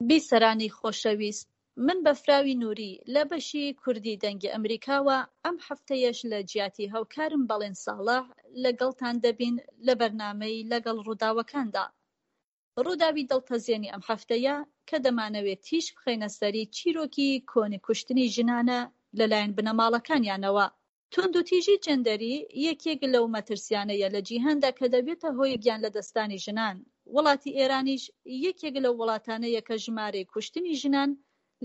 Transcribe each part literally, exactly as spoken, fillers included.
بیسەرانی خۆشەویست، من بەفراوی نوری لە بەشی کوردی دەنگی ئەمریکاوە ئەم هەفتەیەش لە جیاتی هاوکارم بەڵێن ساڵح لەگەڵتان دەبین لە بەرنامەی لەگەڵ ڕووداوەکاندا. ڕووداوی دڵتەزێنی ئەم هەفتەیە کە دەمانەوێت تیشک بخەینە سەری چیرۆکی کۆنی کوشتنی ژنانە لەلایەن بنەماڵەکانیانەوە. توندوتیژی جێندەری یەکێک لەو مەترسیانەیە لە جیهاندا کە دەبێتە هۆی گیانلەدەستدانی ژنان، وڵاتی ئێرانیش یەکێک لەو وڵاتانەیە کە ژمارەی کوشتنی ژنان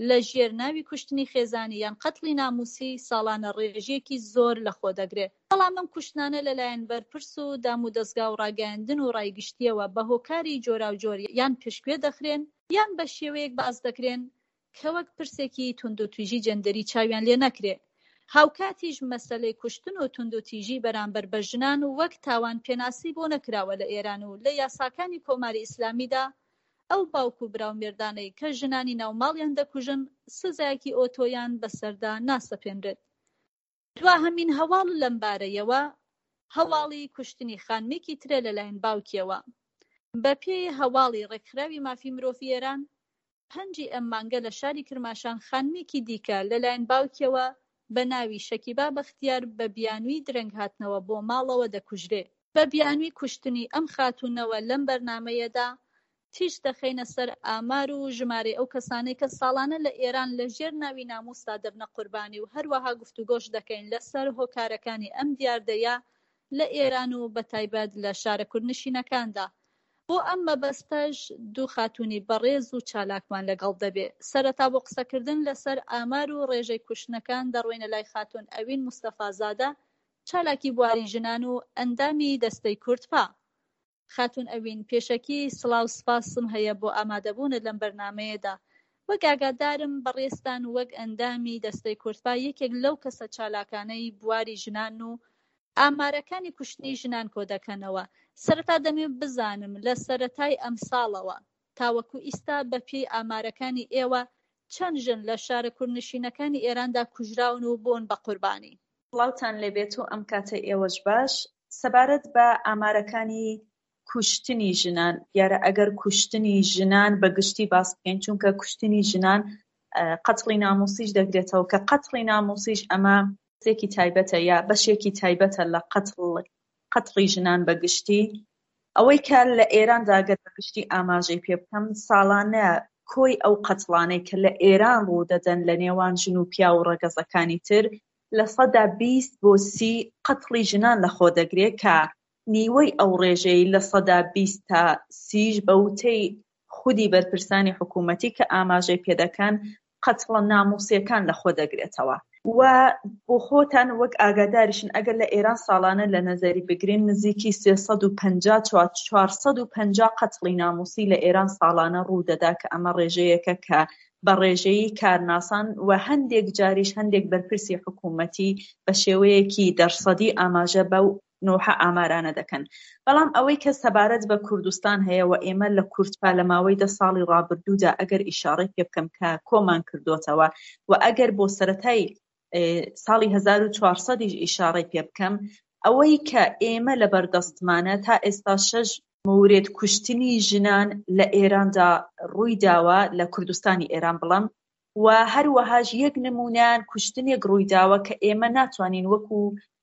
لە ژێر ناوی کوشتنی خێزانی یان قەتڵی ناموسی ساڵانە ڕێژەیەکی زۆر لەخۆ دەگرێ، بەڵام ئەم کوشتنانە لەلایەن بەرپرس و دامودەزگا و ڕاگەیاندن و ڕای گشتییەوە بە هۆکاری جۆراوجۆر یان پشتگوێ دەخرێن یان بە شێوەیەک باس دەکرێن کە وەک پرسێکی توندوتیژی جێندەری چاویان لێ نەکرێ. هاوکاتیش مەسەلەی کوشتن و توندوتیژی بەرامبەر بە ژنان وەک تاوان پێناسەی بۆ نەکراوە لە ئێران و لە یاساکانی کۆماری ئیسلامیدا ئەو باوک و برا و مێردانەی کە ژنانی ناو ماڵیان دەکوژن سزایەکی ئۆتۆیان بەسەردا ناسەپێنرێت. دواهەمین هەواڵ لەمبارەیەوە هەواڵی کوشتنی خانمێکی ترە لەلایەن باوکیەوە. بەپێی هەواڵی ڕێکخراوی مافی مرۆڤی ئێران، پەنجی ئەم مانگە لە شاری کرماشان خانمێکی دیکە لەلایەن باوکیەوە بە ناوی شەکیبا بەختیار بە بیانووی درەنگ هاتنەوە بۆ ماڵەوە دەکوژرێ. بە بیانووی کوشتنی ئەم خاتوونەوە لەم بەرنامەیەدا تیشک دەخەینە سەر ئامار و ژمارەی ئەو کەسانەی کە ساڵانە لە ئێران لە ژێر ناوی نامووسدا دەبنە قوربانی و هەروەها گفتوگۆش دەکەین لە سەر هۆکارەکانی ئەم دیاردەیە لە ئێران و بەتایبەت لە شارە کوردنشینەکاندا. بۆ ئەم مەبەستەش دوو خاتوونی بەڕێز و چالاکمان لەگەڵ دەبێ. سەرەتا بۆ قسەکردن لەسەر ئامار و ڕێژەی کوشتنەکان دەڕۆینە لای خاتوون ئەوین مستەفازادە، چالاکی بواری ژنان و ئەندامی دەستەی کوردپا. خاتوون ئەوین، پێشەکی سڵاو سپاسم هەیە بۆ ئامادەبوونت لەم بەرنامەیەدا. وەک ئاگادارم بەڕێزتان وەک ئەندامی دەستەی کوردپا یەکێک لەو کەسە چالاکانەی بواری ژنان و ئامارەکانی کوشتنی ژنان کۆدەکەنەوە. سەرەتا دەمەوێت بزانم لە سەرەتای ئەمساڵەوە تاوەکو ئیستا بە پێی ئامارەکانی ئێوە چەند ژن لە شارە کوردنشینەکانی ئێراندا کوژراون و بوون بە قوربانی؟ سڵاوتان لێبێت و ئەم کاتەی ئێوەش باش. سەبارەت بە ئامارەکانی کوشتنی ژنان، دیارە ئەگەر کوشتنی ژنان بە گشتی باس بکەین، چونکە کوشتنی ژنان قەتڵی ناموسیش دەگرێتەوە، کە قەتڵی ناموسیش ئەمە پرسێکی تایبەتە یا بەشێکی تایبەتە لە قەتڵ قەتڵی ژنان بە گشتی. ئەوەی کە لە ئێراندا گەر بە گشتی ئاماژەی پێ بکەم، ساڵانە کۆی ئەو قەتڵانەی کە لە ئێران ڕوودەدەن لە نێوان ژن و پیاو و ڕەگەزەکانی تر لە سەدا بیست بۆ سی قەتڵی ژنان لەخۆ دەگرێ کە نیوەی ئەو ڕێژەی لە سەدا بیست تا سیش بە وتەی خودی بەرپرسانی حکوومەتی کە ئاماژەی پێدەکەن قەتڵە ناموسیەکان لەخۆ دەگرێتەوە. و بۆ خۆتان وەک ئاگاداریشن ئەگەر لە ئێران ساڵانە لە نەزەری بگرین نزیکی سێ سەد و پەنجا چوار سەد و پەنجا قەتڵی ناموسی لە ئێران ساڵانە ڕوودەدا کە ئەمە ڕێژەیەکە کە بە ڕێژەیی کارناسان و هەندێک جاریش هەندێک بەرپرسی حکوومەتی بە شێوەیەکی دەرسەدی ئاماژە بەو نۆحە ئامارانە دەکەن. بەڵام ئەوەی کە سەبارەت بە کوردستان هەیە و ئێمە لە کوردپا لە ماوەی دە ساڵی ڕابردوودا ئەگەر ئیشارەی پێ بکەم کە کۆمان کردوتەوە و ئەگەر بۆ سەرەتای ساڵی هەزار و چوار سەد ئیشارەی پێ بکەم، ئەوەی کە ئێمە لە بەردەستمانە تا ئێستا شەش مورد کوشتنی ژنان لە ئێراندا ڕووی داوە، لە کوردستانی ئێران بڵم، و هەروەهاش یەک نمونەیان کوشتنێک ڕووی داوە کە ئێمە ناتوانین وەکو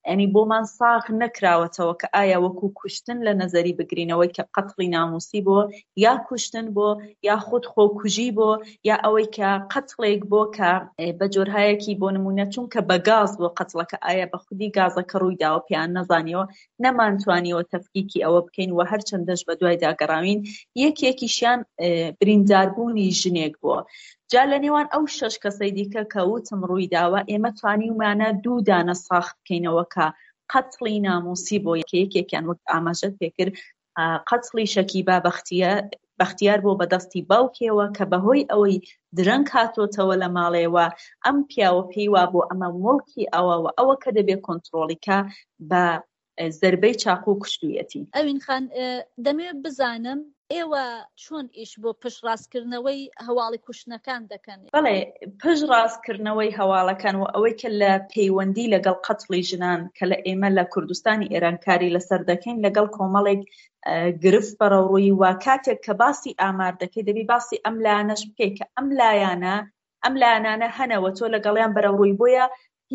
یعنی بۆمان ساغ نەکراوەتەوە کە ئایا وەکو کوشتن لە نەزەری بگرینەوەی کە قەتڵی ناموسی بۆ یا کوشتن بۆ یا خود خۆکوژی بۆ یا ئەوەی کە قەتڵێک بۆ کە بە جۆرهایەکی بۆ نمونە چونکە بە گاز بۆ قەتڵەکە ئایا بە خودی گازەکە ڕووی داوە پێیان نەزانیەوە، نەمانتوانیەوە تەفکیکی ئەوە بکەین و هەرچەندەش بە دوایدا گەڕاوین یەکێکیشیان برینداربوونی ژنێک بووە. جا لە نێوان ئەو شەش کەسەی دیکە کە وتم ڕووی داوە ئێمە توانیومانە دوو دانە ساخ بکەینەوە کە قەتڵی ناموسی بۆ یەکێکیان وەک ئاماژەت پێکرد قەتڵی شەکیبا بەختیار بۆ بەدەستی باوکێوە کە بەهۆی ئەوەی درەنگ هاتۆتەوە لە ماڵێوە ئەم پیاوە پێی وا بۆ ئەمە مڵکی ئەوەوە ئەوە کە دەبێت کۆنترۆڵی کە بە زربەی چاقوو کوشتوویەتی. ئەوین خان، دەمەوێت بزانم ئێوە چۆن ئیش بۆ پشتڕاستکردنەوەی هەواڵی کوشتنەکان دەکەن؟ بەڵێ، پشتڕاستکردنەوەی هەواڵەکان و ئەوەی کە لە پەیوەندی لەگەڵ قەتڵی ژنان کە لە ئێمە لە کوردستانی ئێران کاری لەسەر دەکەین لەگەڵ کۆمەڵێک گرفت بەرەوڕووی و کاتێک کە باسی ئامار دەکەی دەبی باسی ئەم لایەنەش بکەی کە ئەم لایەنە ئەم لایەنانە هەنەوە تۆ لەگەڵیان بەرەوڕووی، بۆیە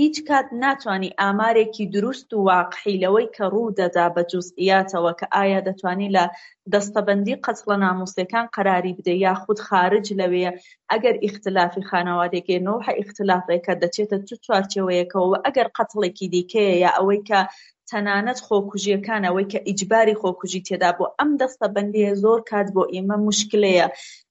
هیچ کات ناتوانی ئامارێکی دروست و واقعی لەوەی کە ڕوو دەدا بە جوزئیاتەوە کە ئایا دەتوانی لە دەستەبەندی قەتڵە ناموسیەکان قەراری بدەی یاخود خارج لەوێ ئەگەر ئیختلافی خانەوادێکی نەوحە ئیختلافێکە دەچێتە چ چوارچێوەیەکەوە و ئەگەر قەتڵێکی دیکەیە یا ئەوەی کە تەنانەت خۆکوژیەکان ئەوەی کە ئیجباری خۆکوژی تێدا بۆ ئەم دەستەبەندیە زۆر کات بۆ ئێمە مشکلەیە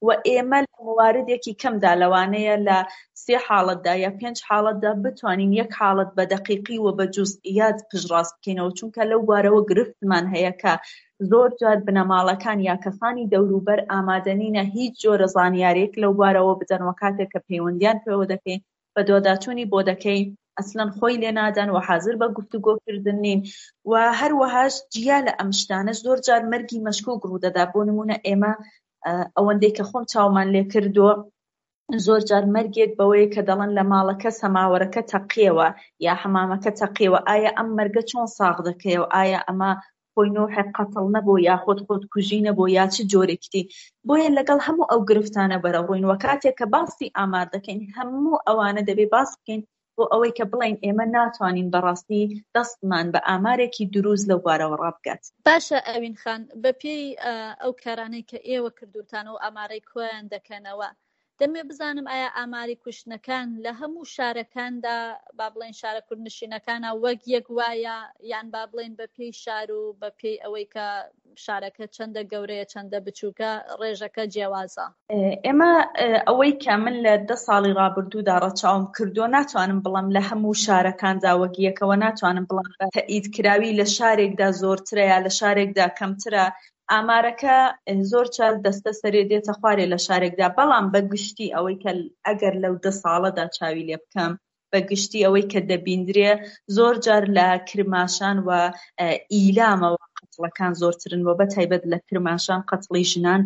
و ئێمە لە مواردێکی کەمدا لەوانەیە لە سێ حاڵەتدا یا پێنج حاڵەتدا بتوانین یەک حاڵەت بە دەقیقی و بە جوزئیات پشتڕاست بکەینەوە، چونکە لەو بارەوە گرفتمان هەیە کە زۆر جار بنەماڵەکان یا کەسانی دەوروبەر ئامادەنینە هیچ جۆرە زانیاریەک لەو بارەوە بدەن و کاتێک کە پەیوەندیان پێوە دەکەین بەدواداچوونی بۆ دەکەین ئەسلەن خۆی لێ نادەن و حاضر بە گفتوگۆکردن نین. و هەروەهاش جیا لە ئەم شتانەش زۆر جار مەرگی مەشکوک ڕوودەدا. بۆ نمونە ئێمە ئەوەندەی کە خۆم چاومان لێ کردووە زۆر جار مەرگێک بەوەیە کە دەڵێن لە ماڵەکە سەماوەرەکە تەقیەوە یا حەمامەکە تەقیەوە، ئایا ئەم مەرگە چۆن ساغ دەکەیەوە؟ ئایا ئەمە خۆی نۆحێک قەتڵ نەبوو یاخود خۆدکوژی نەبوو یا چ جۆرێکی دی؟ بۆیە لەگەڵ هەموو ئەو گرفتانە بەرەوڕووین و کاتێک کە باسی ئامار دەکەین هەموو ئەوانە دەبێ باس بکەین بۆ ئەوەی کە بڵێن ئێمە ناتوانین بەڕاستی دەستمان بە ئامارێکی دروست لەو بارەوە ڕابگات. باشە ئەوین خان، بەپێی ئەو کارانەی کە ئێوە کردوتان و ئامارەی کۆیان دەکەنەوە، دەمێ بزانم ئایا ئاماری کوشتنەکان لە هەموو شارەکاندا با بڵێن شارە کوردنشینەکانە وەک یەک وایە، یان با بڵێن بە پێی شار و بە پێی ئەوەی کە شارەکە چەندە گەورەیە چەندە بچووکە ڕێژەکە جیاوازە؟ ئێمە ئەوەی کە من لە دە ساڵی ڕابردوودا ڕەچاوم کردووە ناتوانم بڵێم لە هەموو شارەکاندا وەک یەکەوە، ناتوانم بڵێم تەئید کراوی لە شارێکدا زۆرترە یا لە شارێکدا کەمترە. ئامارەکە زۆر چار دەستە سەرێ دێتە خوارێ لە شارێکدا، بەڵام بە گشتی ئەوەی کە ئەگەر لەو دە ساڵەدا چاوی لێ بکەم بە گشتی ئەوەی کە دەبیندرێ زۆر جار لە کرماشان و ئیلامەوە قەتڵەکان زۆرترن و بە تایبەت لە کرماشان قەتڵی ژنان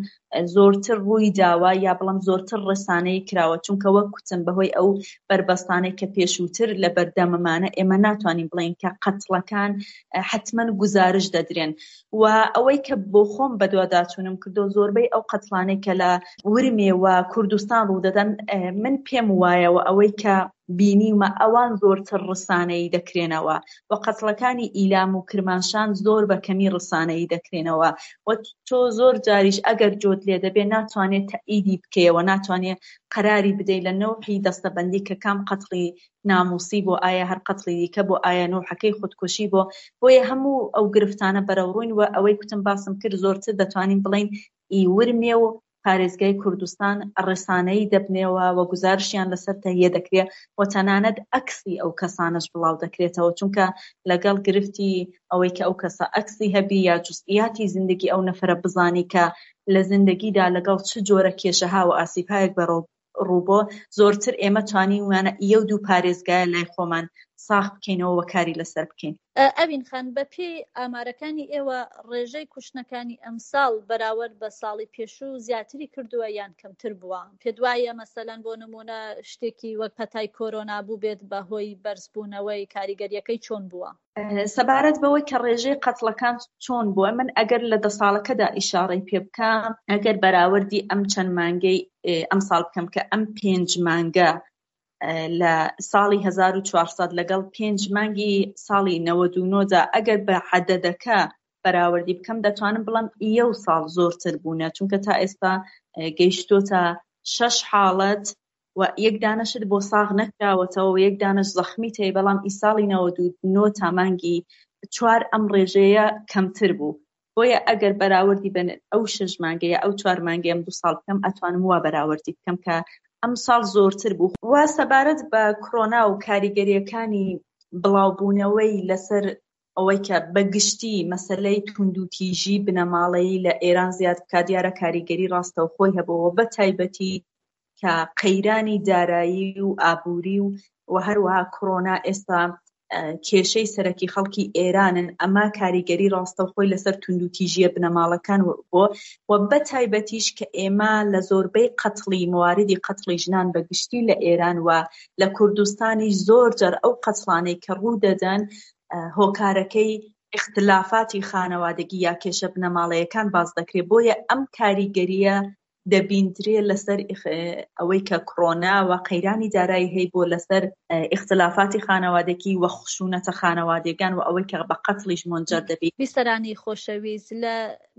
زۆرتر ڕووی داوە یا بڵم زۆرتر ڕسانەی کراوە، چونکە وەک کوتم بەهۆی ئەو بەربەستانەی کە پێشووتر لە بەردەمەمانە ئێمە ناتوانین بڵێین کە قەتڵەکان حتمما گزارش دەدرێن. و ئەوەی کە بۆ خۆم بەدواداچوونم کردو زۆربەی ئەو قەتڵانەی کە لە ورمێ و کوردستان ڕوودەدەن من پێم وایەوە ئەوەی کە بینیومە ئەوان زۆرتر ڕسانەیی دەکرێنەوە و قەتڵەکانی ئیلام و کرماشان زۆر بە کەمی ڕسانەیی دەکرێنەوە و تۆ زۆر جاریش ئەگەر جۆت لێ دەبێ ناتوانێت تەئیدی بکەیەوە، ناتوانێت قەراری بدەیت لە نەوحی دەستەبەندی کە کام قەتڵی ناموسی بۆ، ئایا هەر قەتڵی دیکە بۆ، ئایا نەوحەکەی خودکوشی بۆ. بۆیە هەموو ئەو گرفتانە بەرەوڕووین و ئەوەی کوتم باسم کرد زۆرتر دەتوانین بڵێین ئی ورمێ و پارێزگای کوردستان ڕێسانەیی دەبنەوە و گزارشیان لەسەر تەهیە دەکرێت و تەنانەت ئەکسی ئەو کەسانەش بڵاو دەکرێتەوە، چونکە لەگەڵ گرفتی ئەوەی کە ئەو کەسە ئەکسی هەبی یا جزئیاتی زندگی ئەو نەفەرە بزانی کە لە زندگیدا لەگەڵ چ جۆرە کێشەها و ئاسیبهایەک بەرەو ڕووبۆ، زۆرتر ئێمە توانیومانە ئیە و دوو پارێزگایە لای خۆمان ساخ بکەینەوە و کاری لەسەر بکەین. ئەوین خان، بەپێی ئامارەکانی ئێوە ڕێژەی کوشتنەکانی ئەمساڵ بەراورد بە ساڵی پێشوو زیاتری کردووە یان کەمتر بووە؟ پێت وایە مەسەلەن بۆ نمونە شتێکی وەک پەتای کۆرۆنا بوو بێت بە هۆی بەرزبوونەوەی کاریگەریەکەی چۆن بووە؟ سەبارەت بەوەی کە ڕێژەی قەتڵەکان چۆن بووە، من ئەگەر لە دە ساڵەکەدا ئیشارەی پێ بکەم، ئەگەر بەراوردی ئەم چەند مانگەی ئەم ساڵ بکەم کە ئەم پێنج مانگە لە ساڵی هەزار و چوارسەد لەگەڵ پێنج مانگی ساڵی نەوەد و نۆدا ئەگەر بە عەدەدەکە بەراوردی بکەم دەتوانم بڵێم ئیە و ساڵ زۆرتر بوونە، چونکە تا ئێستا گەیشتۆتە شەش حاڵەت و یەک دانەشت بۆ ساغ نەکراوەتەوە و یەک دانەش زەخمی تێ، بەڵام ئی ساڵی نەوەد و نۆ تا مانگی چوار ئەم ڕێژەیە کەمتر بوو. بۆیە ئەگەر بەراوردی بن ئەو شەش مانگەیە ئەو چوار مانگەیە ئەم دوو ساڵ بکەم ئەتوانم وا بەراوردی بکەم کە ئەم ساڵ زۆرتر بوو. وا سەبارەت بە کۆرۆنا و کاریگەریەکانی بڵاوبوونەوەی لەسەر ئەوەی کە بەگشتی مەسلەی توندوتیژی بنەماڵەیی لە ئێران زیاد بکات، دیارە کاریگەری ڕاستەوخۆی هەبووەوە، بە تایبەتی کە قەیرانی دارایی و ئابووری و و هەروەها کۆرۆنا ئێستا کێشەی سەرەکی خەڵکی ئێرانن، ئەمە کاریگەری ڕاستەوخۆی لەسەر توندوتیژیە بنەماڵەکان بۆ و بە تایبەتیش کە ئێمە لە زۆربەی قەتڵی مواردی قەتڵی ژنان بە گشتی لە ئێران و لە کوردستانیش زۆر جار ئەو قەتڵانەی کە ڕوو دەدەن هۆکارەکەی ئیختلافاتی خانەوادگی یا کێشە بنەماڵەیەکان باس دەکرێت، بۆیە ئەم کاریگەریە دەبیندرێ لەسەر ئەوەی کە کۆرۆنا و قەیرانی دارایی هەی بۆ لەسەر ئیختلافاتی خانەوادگی و خشونەتە خانەوادەکان و ئەوەی کە بە قەتڵیش مونجەر دەبی. بیسەرانی خۆشەویست، لە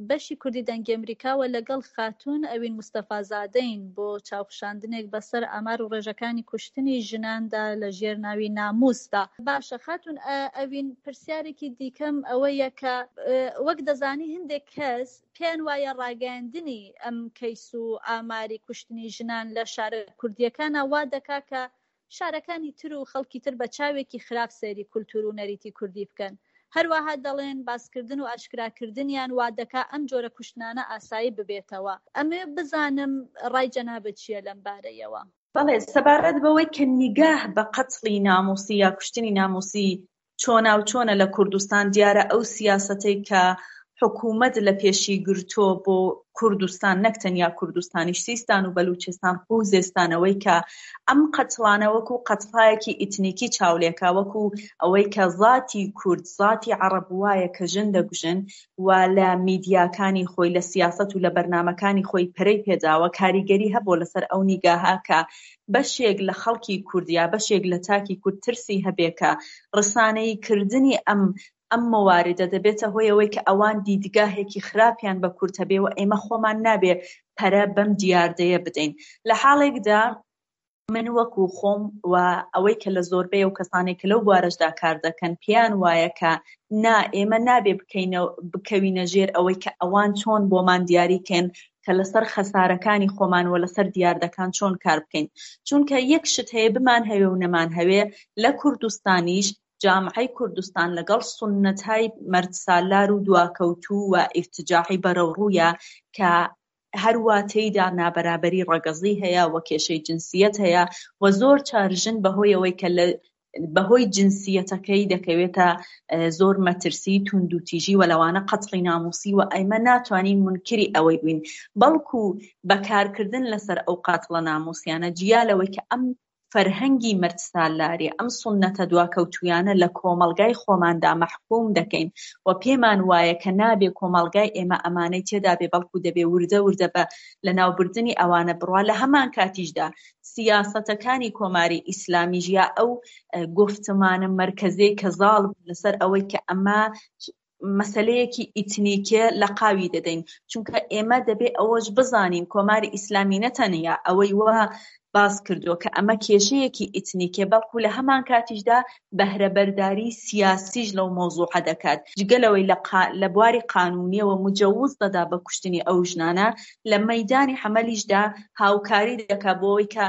بەشی کوردی دەنگی ئەمریکاوە لەگەڵ خاتوون ئەوین مستەفازادەین بۆ چاوخشاندنێک بەسەر ئامار و ڕێژەکانی کوشتنی ژناندا لە ژێر ناوی ناموسدا. باشە خاتوون ئەوین، پرسیارێکی دیکەم ئەوەیە کە وەک دەزانی هەندێک کەس پێیان وایە ڕاگەیاندنی ئەم کەیس و ئاماری کوشتنی ژنان لە شارە کوردیەکانە وا دەکا کە شارەکانی تر و خەڵکی تر بە چاوێکی خراپ سەیری کولتور و نەریتی کوردی بکەن. هەروەها دەڵێن باسکردن و ئاشکراکردنیان وا دەکا ئەم جۆرە کوشتنانە ئاسایی ببێتەوە. ئەمێ بزانم ڕای جەنابت چییە لەم بارەیەوە؟ بەڵێ، سەبارەت بەوەی کە نیگاه بە قەتڵی ناموسی یا کوشتنی ناموسی چۆنا و چۆنە لە کوردستان، دیارە ئەو سیاسەتەی کە حکوومەت لە پێشی گرتۆ بۆ کوردستان، نەک تەنیا کوردستانیش، سیستان و بەلوچستان، خوزستانەوەی کە ئەم قەتڵانە وەکو قەتڵایەکی ئیتنیکی چاولێکا، وەکو ئەوەی کە ذاتی کورد، ذاتی عەرەب وایە کە ژن دەگوژن و لە میدیاکانی خۆی، لە سیاسەت و لە بەرنامەکانی خۆی پەرەی پێداوە، کاریگەری هەبوو لەسەر ئەو نیگاها کە بەشێک لە خەڵکی کورد یا بەشێک لە تاکی کورد ترسی هەبێ کە ڕسانەیی کردنی ئەم ئەم مواردە دەبێتە هۆی ئەوەی کە ئەوان دیدگاهێکی خراپیان بە کورد هەبێ و ئێمە خۆمان نابێ پەرە بەم دیاردەیە بدەین. لە حاڵێکدا من وەکو خۆم و ئەوەی کە لە زۆربەی ئەو کەسانێک کە لەو بوارەشدا کار دەکەن پێیان وایە کە نا، ئێمە نابێ بکەوینە ژێر ئەوەی کە ئەوان چۆن بۆمان دیاریکەن کە لەسەر خەسارەکانی خۆمان و لەسەر دیاردەکان چۆن کار بکەین. چونکە یەک شت هەیە بمان هەوێ و نەمان هەوێ، لە کوردستانیش جامعەی کوردستان لەگەڵ سوننەتهای مەردسالار و دواکەوتوو و ئیرتجاعی بەرەوڕوویە کە هەروە تێیدا نابەرابەری ڕەگەزی هەیە و کێشەی جنسیەت هەیە و زۆر چار ژن بەهۆی ئەوەی کە لە بەهۆی جنسیەتەکەی دەکەوێتە زۆر مەترسی توندوتیژی و لەوانە قەتڵی ناموسی و ئەیمە ناتوانین منکری ئەوەی بووین، بەڵکو بەکارکردن لەسەر ئەو قاتڵە ناموسیانە جیا لەوەی کە ئەم فەرهەنگی مەردسالاری، ئەم سوننەتە دواکەوتویانە لە کۆمەڵگای خۆماندا مەحکوم دەکەین و پێمان وایە کە نابێ کۆمەڵگای ئێمە ئەمانەی تێدا بێ، بەڵکو دەبێ وردە وردە بە لەناوبردنی ئەوانە بڕوا. لە هەمان کاتیشدا سیاسەتەکانی کۆماری ئیسلامیش یا ئەو گفتمانە مەرکەزیەی کە زاڵ لەسەر ئەوەی کە ئەمە مەسەلەیەکی ئیتنیکێ لە قاوی دەدەین، چونکە ئێمە دەبێ ئەوەش بزانین کۆماری ئیسلامی نەتەنیا ئەوەی وا باس کردووە کە ئەمە کێشەیەکی ئیتنیکێ، بەڵکو لە هەمان کاتیشدا بەهرەبەرداری سیاسیش لەو مەوزوعە دەکات، جگە لەوەی لە بواری قانونیەوە مجەوز دەدا بە کوشتنی ئەو ژنانە، لە مەیدانی حەمەلیشدا هاوکاری دەکات بۆ ئەوەی کە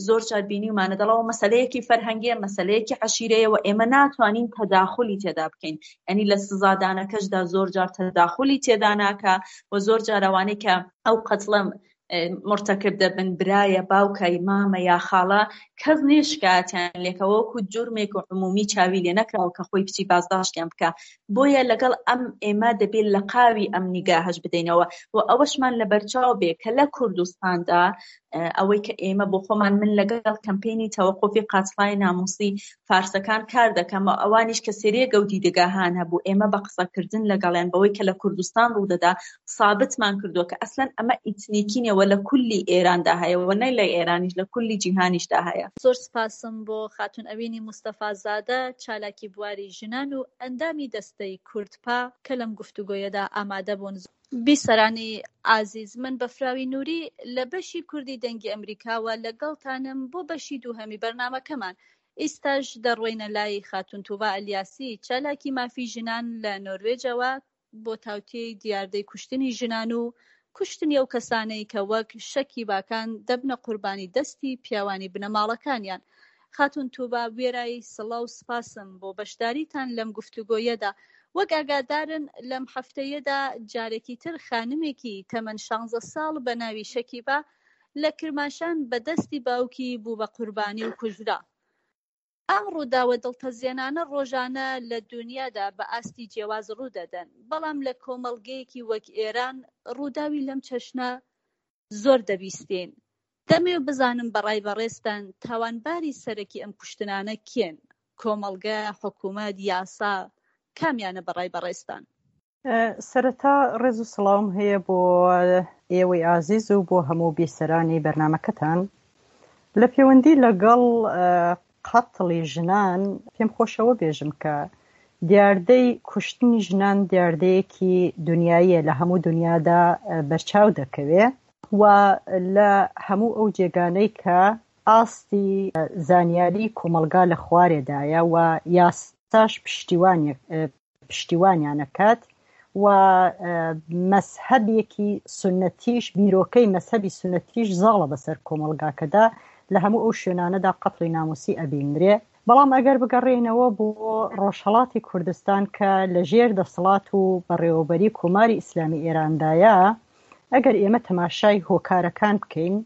زۆر جار بینیومانە دەڵەوە مەسەلەیەکی فەرهەنگیە، مەسەلەیەکی عەشیرەیە و ئێمە ناتوانین تەداخلی تێدا بکەین. یعنی لە سزادانەکەشدا زۆر جار تەداخلی تێدا ناکا و زۆر جار ئەوانەی کە ئەو قەتڵە مرتکب دەبن، برایە، باوکە، مامە یا خاڵە، کەس نییە شکایەتیان لێکەوە، وەکو جورمێک و عمومی چاوی لێ نەکراوە کە خۆی بچی بازداشتیان بکە. بۆیە لەگەڵ ئەم ئێمە دەبێت لە قاوی ئەم نیگاهش بدەینەوە و ئەوەشمان لەبەرچاو بێ کە لە کوردستاندا ئەوەی کە ئێمە بۆ خۆمان، من لەگەڵ کەمپینی تەوەقوفی قاتڵای ناموسی فارسەکان کار دەکەم و ئەوانیش کە سێرێگە و دیدگاهان هەبوو، ئێمە بە قسەکردن لەگەڵیان بەوەی کە لە کوردستان ڕوودەدا سابتمان کردووە کە ئەسلەن ئەمە ئیتنیکی نییە و لە کولی ئێراندا هەیە و نە لە ئێرانیش، لە کولی جیهانیشدا هەیە. زۆر سپاسم بۆ خاتون ئەوینی مستەفازادە، چالاکی بواری ژنان و ئەندامی دەستەی کوردپا کە لەم گفتوگۆیەدا ئامادە بوون. بیسەرانی ئازیز، من بەفراوی نووری لە بەشی کوردی دەنگی ئەمریکاوە لەگەڵتانم بۆ بەشی دووهەمی بەرنامەکەمان. ئیستاش دەڕۆینە لای خاتون توبا ئەلیاسی، چالاکی مافی ژنان لە نۆروێجەوە بۆ تاوتێی دیاردەی کوشتنی ژنان و کوشتنی ئەو کەسانەی کە وەک شەکی باکان دەبنە قوربانی دەستی پیاوانی بنەماڵەکانیان. خاتون توبا، وێرای سڵاو سپاسم بۆ بەشداریتان لەم گفتوگۆیەدا. وەک ئاگادارن لەم هەفتەیەدا جارێکی تر خانمێکی تەمەن شانزە ساڵ بە ناوی شەکیبا لە کرماشان بە دەستی باوکی بوو بە قوربانی و کوژرا. ئەم ڕووداوە دڵتەزێنانە ڕۆژانە لە دونیادا بە ئاستی جیاواز ڕوودەدەن، بەڵام لە کۆمەڵگەیەکی وەک ئێران ڕووداوی لەم چەشنە زۆر دەبیستین. دەمەوێ بزانم بە ڕای بەڕێزتان تاوانباری سەرەکی ئەم کوشتنانە کێن؟ کۆمەڵگە، حکوومەت، یاسا، کامیانە بە ڕای بەڕێزتان؟ سەرەتا ڕێز و سڵاوم هەیە بۆ ئێوەی ئازیز و بۆ هەموو بیسەرانی بەرنامەکەتان. لە پەیوەندی لەگەڵ قەتڵی ژنان پێم خۆشەوە بێژم کە دیاردەی کوشتنی ژنان دیاردەیەکی دنیاییە، لە هەموو دنیادا بەرچاو دەکەوێ و لە هەموو ئەو جێگانەی کە ئاستی زانیاری کۆمەڵگا لە خوارێدایە و یاساش پشتیوانیانەکات و مەزهەبێکی سوننەتیش، بیرۆکەی مەزهەبی سوننەتیش زاڵە بەسەر کۆمەڵگاکەدا، لە هەموو ئەو شوێنانەدا قەتڵی ناموسی ئەبینرێ. بەڵام ئەگەر بگەڕێینەوە بۆ ڕۆژهەڵاتی کوردستان کە لەژێر دەسەڵات و بەڕێوەبەری کۆماری ئیسلامی ئێراندایە، ئەگەر ئێمە تەماشای هۆکارەکان بکەین،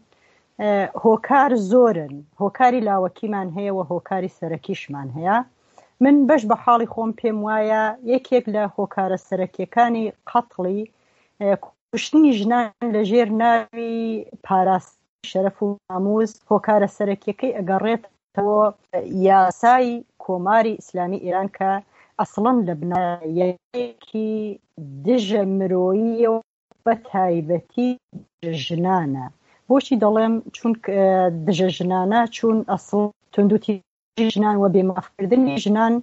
هۆکار زۆرن، هۆکاری لاوەکیمان هەیە و هۆکاری سەرەکیشمان هەیە. من بەش بە حاڵی خۆم پێم وایە یەکێک لە هۆکارە سەرەکیەکانی قەتڵی کوشتنی ژنان لەژێر ناوی پاراستنی شەرەف و ناموس، هۆکارە سەرەکیەکەی ئەگەڕێتەوە یاسای کۆماری ئیسلامی ئێران کە ئەسڵەن لە بنەمایەکی دژە مرۆییە و بە تایبەتی ژنانە. بۆچی دەڵێم چون دژە ژنانە؟ چون ئەسڵ توندوتیژی ژنان و بێمافکردنی ژنان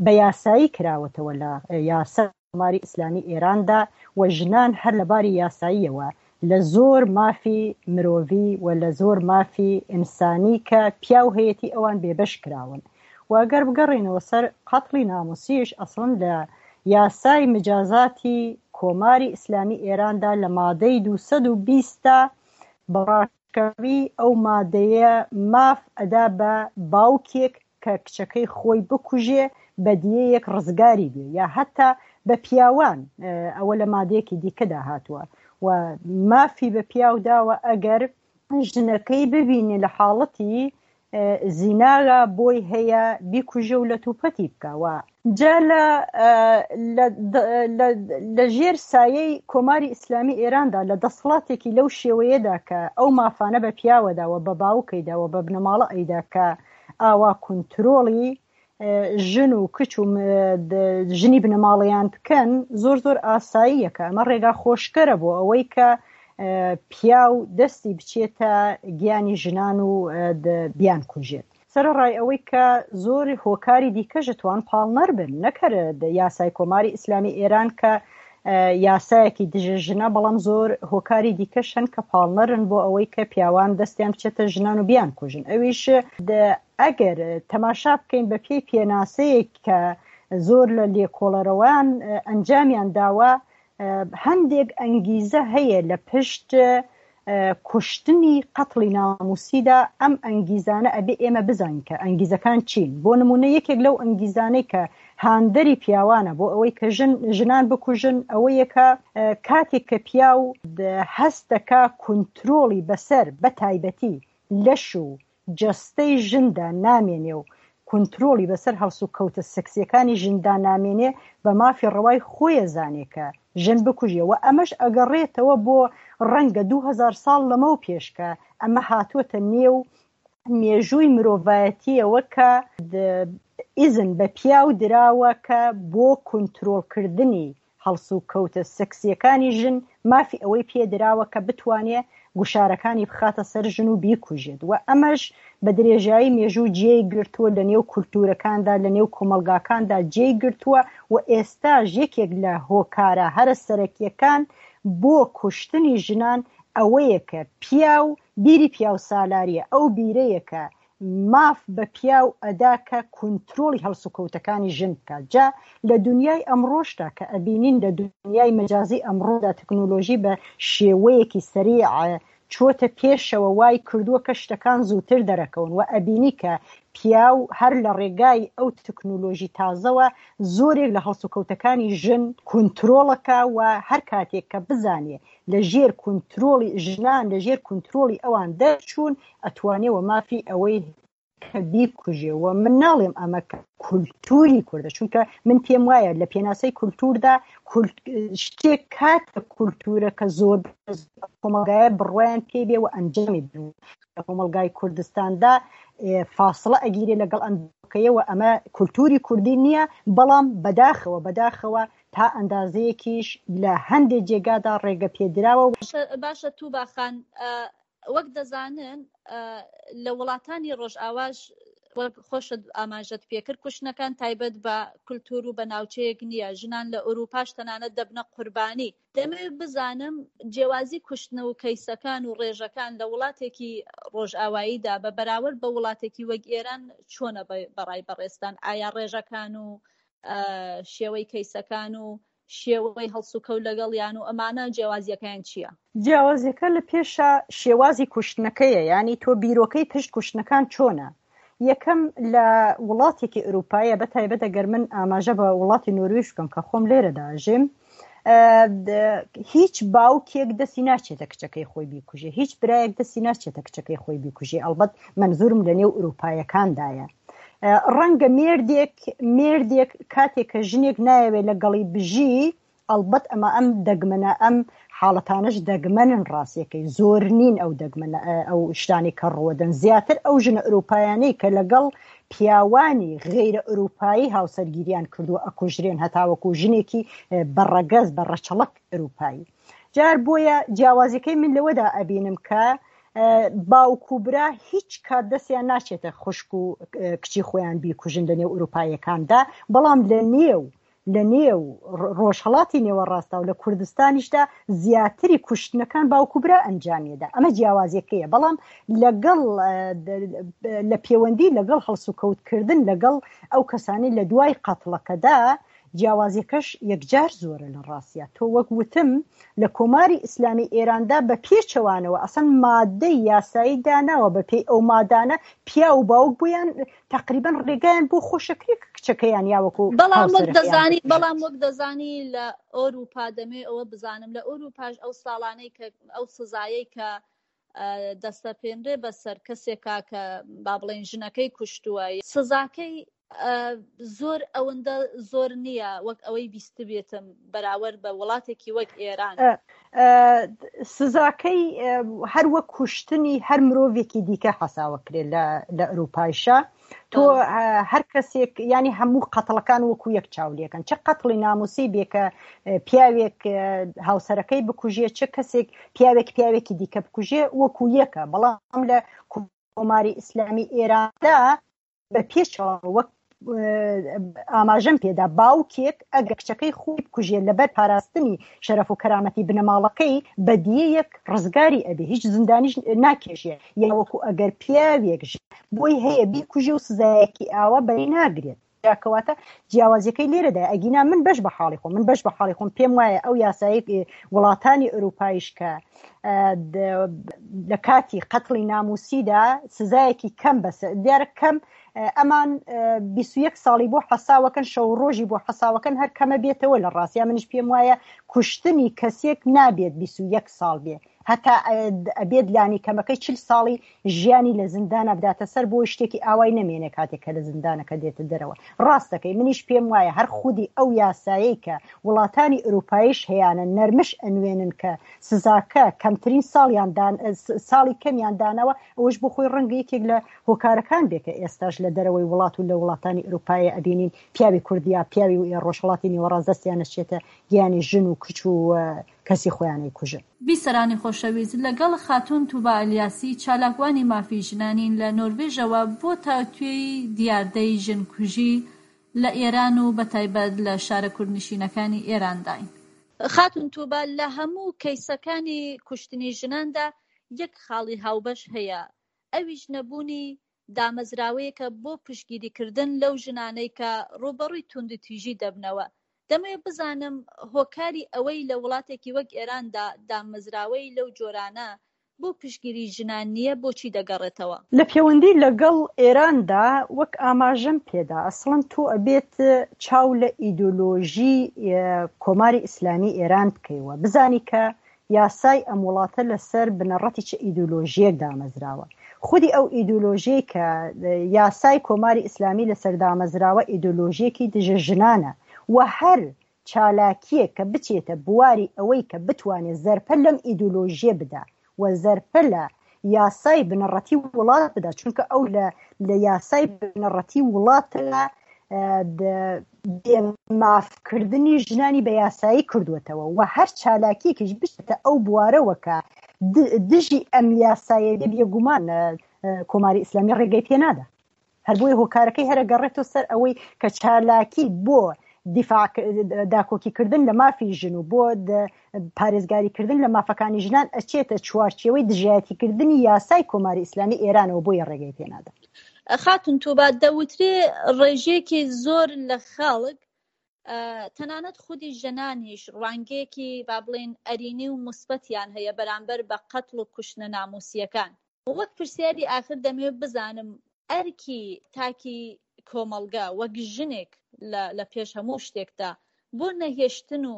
بە یاسایی کراوەتەوە لە یاسا کۆماری ئیسلامی ئێراندا و ژنان هەر لە باری یاساییەوە لە زۆر مافی مرۆڤی و لە زۆر مافی ئینسانی کە پیاو هەیەتی ئەوان بێبەش کراون. و ئەگەر بگەڕێنەوە سەر قەتڵی ناموسیش، ئەسڵەن لە یاسای مجازاتی کۆماری ئیسلامی ئێراندا لە مادەی دووسەد و بیست بەڕاشکاوی ئەو مادەیە ماف ئەدا بە باوکێک کە کچەکەی خۆی بکوژێ بە دیەیەک ڕزگاری بێ، یا حتا بە پیاوان، ئەوە لە مادەیەکی دیکەدا هاتووە و مافی بە پیاو داوە ئەگەر ژنەکەی ببینێ لە حاڵەتی زیناغا بۆی هەیە بیکوژە و لە توپەتی بکەوە. جا لە ژێر سایەی کۆماری ئیسلامی ئێراندا لە دەسەڵاتێکی لەو شێوەیەدا کە ئەو مافانە بە پیاوەدا و بە باوکەیدا و بە بنەماڵە ئەیدا کە ئاوا کونترۆڵی ژن و کچ و ژنی بنەماڵەیان بکەن، زۆر زۆر ئاساییە کە ئەمە ڕێگا خۆشکەرە بۆ ئەوەی کە پیاو دەستی بچێتە گیانی ژنان و بیان کوژێت. سەرەڕای ئەوەی کە زۆر هۆکاری دیکەش توان پاڵنەر بن، نەکەرە یاسای کۆماری ئیسلامی ئێران کە یاسایەکی دژە ژنە، بەڵام زۆر هۆکاری دیکەش هەن کە پاڵنەرن بۆ ئەوەی کە پیاوان دەستیان بچێتە ژنان و بیان کوژن. ئەویش ئەگەر تەماشا بکەین بە پێی پێناسەیەک کە زۆر لە لێکۆڵەرەوان ئەنجامیان داوە، هەندێک ئەنگیزە هەیە لە پشت کوشتنی قەتڵی ناموسیدا. ئەم ئەنگیزانە ئەبێ ئێمە بزانین کە ئەنگیزەکان چین. بۆ نمونە یەکێک لەو ئەنگیزانەی کە هاندەری پیاوانە بۆ ئەوەی کە ژن ژنان بکوژن ئەوەیە کە کاتێک کە پیاو هەست دەکا کونترۆڵی بەسەر بە تایبەتی لەش و جەستەی ژندا نامێنێ و کونترۆڵی بەسەر هەڵسوکەوتە سکسیەکانی ژندا نامێنێ، بە مافی ڕەوای خۆیە زانێ کە ژن بکوژێ. و ئەمەش ئەگەڕێتەوە بۆ ڕەنگە دوو هەزار ساڵ لەمەو پێشکە ئەمە هاتووەتە نێو مێژووی مرۆڤایەتیەوە کە ئیزن بە پیاو دراوە کە بۆ کونترۆڵکردنی هەڵسوکەوتە سکسیەکانی ژن مافی ئەوەی پێدراوە کە بتوانێت گوشارەکانی بخاتە سەر ژن و بیکوژێت. و ئەمەش بە درێژایی مێژوو جێی گرتووە لە نێو کولتوورەکاندا، لە نێو کۆمەڵگاکاندا جێی گرتووە و ئێستاش یەکێک لە هۆکارە هەرە سەرەکیەکان بۆ کوشتنی ژنان ئەوەیە کە پیاو بیری پیاو سالاریە، ئەو بیرەیە کە ماف بە پیاو ئەدا کە کونترۆڵی هەڵسوکەوتەکانی ژن بکات. جا لە دنیای ئەمڕۆشدا کە ئەبینین لە دنیای مەجازی ئەمڕۆدا تەکنۆلۆژی بە شێوەیەکی سەریع چۆتە پێشەوە وای کردووە کە شتەکان زووتر دەرەکەون و ئەبینی کە پیاو هەر لە ڕێگای ئەو تەکنۆلۆژی تازەوە زۆرێک لە هەڵسوکەوتەکانی ژن کونترۆڵەکە و هەر کاتێک کە بزانێ لە ژێر کونترۆڵی ژنان لە ژێر کونترۆڵی ئەوان دەرچوون ئەتوانێەوە مافی ئەوەی کە بیکوژێ. و من ناڵێم ئەمە کولتوری کوردە، چونکە من پێم وایە لە پێناسەی کولتوردا شتێک کاتە کولتورە کە زۆر کۆمەڵگایە بڕوایان پێ بێ و ئەنجامی بن. لە کۆمەڵگای کوردستاندا فاصلە ئەگیرێ لەگەڵ ئەم ئەمە کولتوری کوردی نییە، بەڵام بەداخەوە بەداخەوە تا ئەندازەیەکیش لە هەندێک جێگادا ڕێگە پێدراوە. باشە توبا خان، وەک دەزانن لە وڵاتانی ڕۆژئاواش وەک خۆشت ئاماژەت پێکرد کوشتنەکان تایبەت بە کولتور و بە ناوچەیەک نییە، ژنان لە ئەوروپاش تەنانەت دەبنە قوربانی. دەمەوێت بزانم جیاوازی کوشتن و کەیسەکان و ڕێژەکان لە وڵاتێکی ڕۆژئاواییدا بە بەراورد بە وڵاتێکی وەک ئێران چۆنە بەڕای بەڕێزتان؟ ئایا ڕێژەکان و شێوەی کەیسەکان و شێوەی هەڵسوکەوت لەگەڵیان و ئەمانە جیاوازیەکەیان چییە؟ جیاوازیەکە لە پێشە شێوازی کوشتنەکەیە، ینی تۆ بیرۆکەی پشت کوشتنەکان چۆنە. یەکەم لە وڵاتێکی ئەوروپایە، بە تایبەت ئەگەر من ئاماژە بە وڵاتی نۆرویژ بکەم کە خۆم لێرەدا ئەژیم، هیچ باوکێک دەستی ناچێتە کچەکەی خۆی بیکوژێ، هیچ برایەک دەستی ناچێتە کچەکەی خۆی بیکوژێ. ئەلبەت منزورم لە نێو ئەوروپایەکاندایە. ڕەنگە مێردێک مێردێک کاتێک کە ژنێک نایەوێت لەگەڵی بژی، ئەلبەت ئەمە ئەم دەگمەنە، ئەم حاڵەتانش دەگمەنن، ڕاستیەکەی زۆر نین ئەو دەگمەنە ئەو شتانی کە ڕوەدەن. زیاتر ئەو ژنە ئەوروپایانەی کە لەگەڵ پیاوانی غەیرە ئەوروپایی هاوسەرگیریان کردووە ئەکوژرێن، هەتاوەکو ژنێکی بەڕەگەز بە ڕەچەڵەک ئەوروپایی. جار بۆیە جیاوازیەکەی من لەوەدا ئەبینم کە باوک و برا هیچ کات دەستیان ناچێتە خوشک و کچی خۆیان بیکوژن لە نێو ئەوروپاییەکاندا، بەڵام لە نێو لە نێو ڕۆژهەڵاتی نێوەڕاستە و لە کوردستانیشدا زیاتری کوشتنەکان باوک و برا ئەنجامیدا. ئەمە جیاوازیەکەیە. بەڵام لەگەڵ لە پەیوەندی لەگەڵ هەڵسوکەوتکردن لەگەڵ ئەو کەسانی لە دوای قەتڵەکەدا جیاوازیەکەش یەکجار زۆرە لە ڕاستە. تۆ وەک وتم لە کۆماری ئیسلامی ئێراندا بە پێچەوانەوە ئەسەن مادەی یاسایی داناوە، بە پێی ئەو مادانە پیا و باوک بوویان تقریبا ڕێگایان بۆ خۆشەکرێ کچەکەیان یاوەکو. بەڵام وەک دەزانی بەڵام وەک دەزانی لە ئەوروپا دەمێ ئەوە بزانم لە ئەوروپاش ئەو ساڵانەی کە ئەو سزایەی کە دەستەپێنرێ بەسەر کەسێکا کە با بڵێن ژنەکەی کوشتووە، سزاکەی زۆر ئەوەندە زۆر نییە وەک ئەوەی بیستبێتم بەراورد بە وڵاتێکی وەک ئێران. سزاکەی هەر وەک کوشتنی هەر مرۆڤێکی دیکە حەساوەکرێت لە ئەوروپایشە. تۆ هەر کەسێک ینی هەموو قەتڵەکان وەکو یەک چاولێکن، چه قەتڵی ناموسی بێ کە پیاوێک هاوسەرەکەی بکوژێ، چه کەسێک پیاوێک پیاوێکی دیکە بکوژێ وەکو یەکە. بەڵام لە کۆماری ئیسلامی ئێراندا بە پێچەوە وەک ئاماژەم پێدا باوکێک ئەگەر کچەکەی خۆی بکوژێت لەبەر پاراستنی شەرەف و کەرامەتی بنەماڵەکەی بەدیەیەک ڕزگاری ئەبێ، هیچ زیندانیش ناکێشێ. یاوەکو ئەگەر پیاوێک بۆی هەیە بیکوژێ و سزایەکی ئاوا بەری ناگرێت. کەواتە جیاوازیەکەی لێرەدا. ئەگینا من بەش بە حاڵی خۆم من بەش بە حاڵی خۆم پێم وایە ئەو یاسایی وڵاتانی ئەوروپایش کە لە کاتی قەتڵی ناموسیدا سزایەکی کەم بەسە دیارە کەم ئەمان بیست و یەک ساڵی بۆ حەساوەکەن، شەو ڕۆژی بۆ حەساوەکەن هەر کەمە بێتەوە. لە ڕاستیا منیش پێم وایە کوشتنی کەسێک نابێت بیست و یەک ساڵ بێ، هەتا ئەبێت لانی کەمەکەی چل ساڵی ژیانی لە زیندانە بداتە سەر بۆ شتێکی ئاوای نەمێنێ کاتێک کە لە زیندانەکە دێتە دەرەوە. ڕاستەکەی منیش پێم وایە هەر خودی ئەو یاسایی کە وڵاتانی ئەوروپاییش هەیەە نەرمش ئەنوێنن کە سزاکە کەمترین ساڵیان ساڵی کەمیان دانەوە، ئەوش بۆ خۆی ڕەنگە یەکێک لە هۆکارەکان بێ کە ئێستاش لە دەرەوەی وڵات و لە وڵاتانی ئەوروپایە ئەبینین پیاوی کوردیا پیاوی ڕۆژهەڵاتی نێوەڕاست دەستیان نەچێتە گیانی ژن و کچ و کەسی خۆیانەی کوژن. بیسەرانی خۆشەویست، لەگەڵ خاتوون توبا ئەلیاسی چالاکوانی مافی ژنانین لە نۆروێژەوە بۆ تاوتوێی دیاردەی ژنکوژی لە ئێران و بەتایبەت لە شارە کوردنشینەکانی ئێرانداین. خاتوون توبا، لە هەموو کەیسەکانی کوشتنی ژناندا یەک خاڵی هاوبەش هەیە، ئەویش نەبوونی دامەزراوەیەکە بۆ پشتگیریکردن لەو ژنانەی کە ڕووبەڕووی توندوتیژی دەبنەوە. دەمەوێت بزانم هۆکاری ئەوەی لە وڵاتێکی وەک ئێراندا دامەزراوەی لەو جۆرانە بۆ پشتگیری ژنان نییە بۆچی دەگەڕێتەوە؟ لە پەیوەندی لەگەڵ ئێراندا وەک ئاماژەم پێدا ئەسڵەن تۆ ئەبێت چاو لە ئیدۆلۆژی کۆماری ئیسلامی ئێران بکەیەوە، بزانی کە یاسای ئەم وڵاتە لەسەر بنەڕەتی چه ئیدۆلۆژیەک دامەزراوە. خودی ئەو ئیدۆلۆژیەی کە یاسای کۆماری ئیسلامی لەسەر دامەزراوە ئیدۆلۆژیەکی دژە ژنانە و هەر چالاکیەک کە بچێتە بواری ئەوەی کە بتوانێت زەرپە لەم ئیدۆلۆژیە بدا و زەرپە لە یاسای بنەڕەتی وڵات بدا، چونکە ئەو لە لە یاسای بنەڕەتی وڵاتە بێمافکردنی ژنانی بە یاسایی کردووەتەوە و هەر چالاکیەکیش بچێتە ئەو بوارەوە کە دژی ئەم یاسایە بێ، بێگومان کۆماری ئیسلامی ڕێگەی پێ نادا. هەر بۆیە هۆکارەکەی هەرە گەڕێتەوە سەر ئەوەی کە چالاکی بۆ دیفاع داکۆکیکردن لە مافی ژن و بۆ پارێزگاریکردن لە مافەکانی ژنان ئەچێتە چوارچێوەی دژایەتیکردنی یاسای کۆماری ئیسلامی ئێرانەوە، بۆیە ڕێگەی پێ نادا. خاتون توبا، دەوترێ ڕێژەیەکی زۆر لە خەڵک تەنانەت خودی ژنانیش ڕوانگەیەکی با بڵێن ئەرینی و موسبەتیان هەیە بەرامبەر بە قەتڵ و کوشتنە ناموسیەکان. وەک پرسیاری ئاخر دەمەوێت بزانم ئەرکی تاکی کۆمەڵگا وەک ژنێک لە پێش هەموو شتێکدا بۆ نەهێشتن و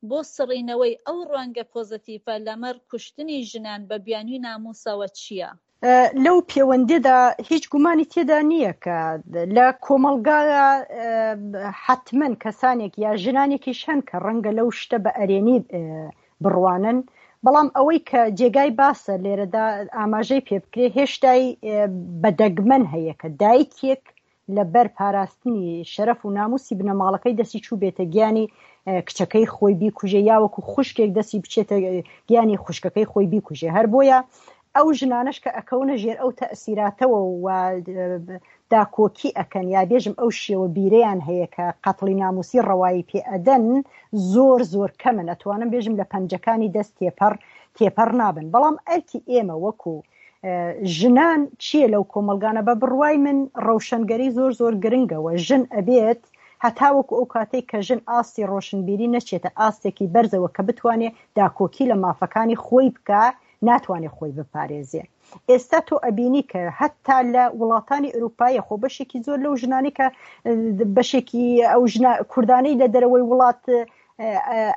بۆ سڕینەوەی ئەو ڕوانگە پۆزەتیڤە لەمەڕ کوشتنی ژنان بە بیانووی ناموسەوە چییە؟ لەو پێوەندیدا هیچ گومانی تێدا نییە کە لە کۆمەڵگا حتمما کەسانێک یا ژنانێکیش هەن کە ڕەنگە لەو شتە بە ئەرێنی بڕوانن، بەڵام ئەوەی کە جێگای باسە لێرەدا ئاماژەی پێ بکرێ هێشتای بەدەگمەن هەیە کە دایکێک لەبەر پاراستنی شەرەف و ناموسی بنەماڵەکەی دەستی چوو بێتە گیانی کچەکەی خۆی بیکوژێ یا وەکو خوشکێک دەستی بچێتە گیانی خوشکەکەی خۆی بیکوژێ. هەر بۆیە ئەو ژنانەش کە ئەکەونە ژێر ئەو تەئسیراتەوە و داکۆکی ئەکەن یا بێژم ئەو شێوە بیرەیان هەیە کە قەتڵی ناموسی ڕەوایی پێ ئەدەن زۆر زۆر کەمن، ئەتوانم بێژم لە پەنجەکانی دەست تێپەڕ تێپەڕ نابن. بەڵام ئەرکی ئێمە وەکو ژنان چییە لەو کۆمەلگانە؟ بە بڕوای من ڕەوشەنگەری زۆر زۆر گرنگەوە ژن ئەبێت هەتاوەکو ئەو کاتێک کە ژن ئاستی ڕۆشنبیری نەچێتە ئاستێکی بەرزەوە کە بتوانێت داکۆکی لە مافەکانی خۆی بکە، ناتوانێت خۆی بپارێزێ. ئێستا تۆ ئەبینی کە هەتا لە وڵاتانی ئەوروپایە خۆ بەشێکی زۆر لەو ژنانی کە بەشێکی ئەو ژنە کوردانەی لە دەرەوەی وڵات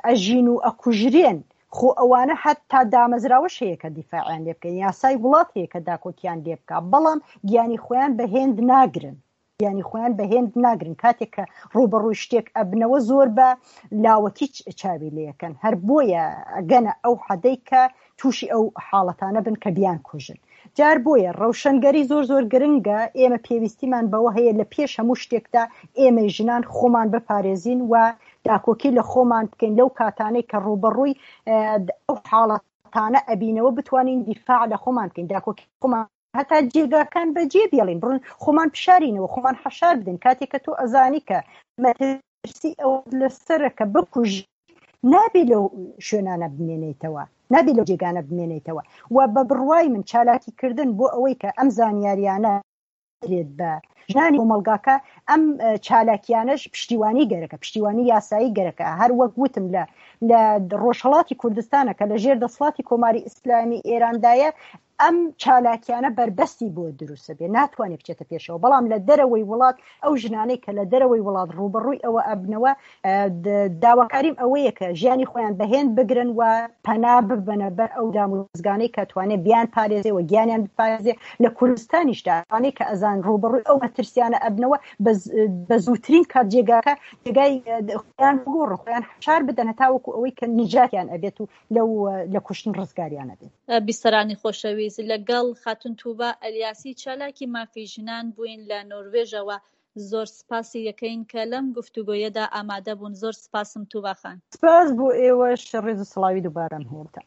ئەژین و ئەکوژرێن، خۆ ئەوانە حتا دامەزراوەش هەیە کە دیفاعیان لێ بکەن، یاسای وڵات هەیە کە داکۆکیان لێ بکە، بەڵام گیانی خۆیان بە هێند ناگرن، گیانی خۆیان بە هێند ناگرن. کاتێک کە ڕوبەڕووی شتێک ئەبنەوە زۆر بە لاوەکی چاوی لێەکەن، هەر بۆیە ئەگەنە ئەو حەدەی کە تووشی ئەو حاڵەتانە بن کە بیان کوژن. جار بۆیە ڕەوشەنگەری زۆر زۆر گرنگە. ئێمە پێویستیمان بەوە هەیە لە پێش هەموو شتێکدا ئێمەی ژنان خۆمان بپارێزین و داکۆکی لە خۆمان بکەین لەو کاتانەی کە ڕوبەڕووی ئەو حاڵەتانە ئەبینەوە بتوانین دیفاع لە خۆمان بکەین، داکۆکی خۆمان هەتا جێگاکان بەجێ بێڵین، بڕن خۆمان پیشارینەوە، خۆمان حەشار بدەین. کاتێک کە تۆ ئەزانی کە مەترسی ئەو لەسەرە کە بکوژ، نابێ لەو شوێنانە بمێنیتەوە، نابێ لەو جێگانە بمێنیتەوە. و بە بڕوای من چالاکیکردن بۆ ئەوەی کە ئەم زانیاریانە درێت بە ژنانی کۆمەڵگاکە، ئەم چالاکیانەش پشتیوانی گەرەکە، پشتیوانی یاسایی گەرەکە. هەر وەک وتم لە لە ڕۆژهەڵاتی کوردستانە کە لە ژێر دەسەڵاتی کۆماری ئیسلامی ئێراندایە، ئەم چالاکیانە بەربەستی بۆ دروستە بێ، ناتوانێت بچێتە پێشەوە. بەڵام لە دەرەوەی وڵات ئەو ژنانەی کە لە دەرەوەی وڵات ڕوبەڕووی ئەوە ئەبنەوە، داواکاریم ئەوەیە کە ژیانی خۆیان بەهێند بگرن و پەنا ببەنە بەر ئەو دامودەزگانەی کە توانێت بیان پارێزێ و گیانیان بپارێزێ. لە کوردستانیشدا ئەوانەی کە ئەزان ڕوبەڕووی ئەو مەترسیانە ئەبنەوە، بە زووترین کات جێگاکە جێگای خۆیان بگۆڕن، خۆیان حەشار بدەن هەتاوەکو ئەوەی کە نجاتیان ئەبێت و لەو لە کوشتن ڕزگاریان ئەبێت. بیسەرانی خۆشەویست، لەگەڵ خاتون توبا ئەلیاسی چالاکی مافی ژنان بووین لە نۆروێژەوە. زۆر سپاسی یەکەین کە لەم گفتوگۆیەدا ئامادە بوون. زۆر سپاسم توبا خان. سپاس بۆ ئێوەش، ڕێز و سڵاوی دووبارەم هەیە.